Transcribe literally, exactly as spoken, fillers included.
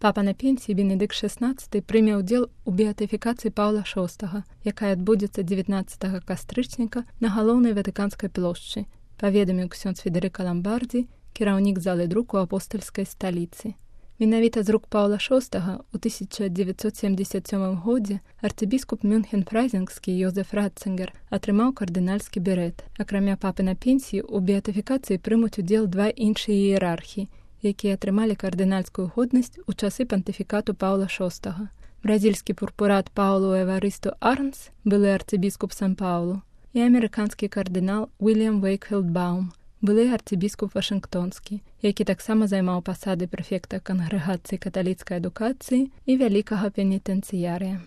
Папа на пенсіі Бенедыкт шэснаццаты прыме ўдзел у беатыфікацыі Паўла шостага, якая адбудзецца дзевятнаццатага кастрычніка на галоўнай ватыканскай плошчы, паведаміў ксёндз Федэрыка Ламбардзі, кіраўнік залы друку апостальскай сталіцы. Менавіта з рук Паўла шостага ў тысяча дзевяцьсот семдзесят сёмым годзе арцыбіскуп Мюнхен-Фрайзінгскі Йозеф Ратцынгер атрымаў кардынальскі берэт. Акрамя папы на пенсіі, у беатыфікацыі прымуць удзел два іншыя іерархі, якія атрымалі кардынальскую годнасць у часы пантыфікату Паўла шостага. Бразільскі пурпурат Паулу Эварысту Арнс, былы арцыбіскуп Сан-Паулу, і амерыканскі кардынал Уільям Вейкфілд Баум, былы арцыбіскуп Вашынгтонскі, які таксама займаў пасады прэфекта кангрэгацыі каталіцкай адукацыі і вялікага пенітэнцыярыя.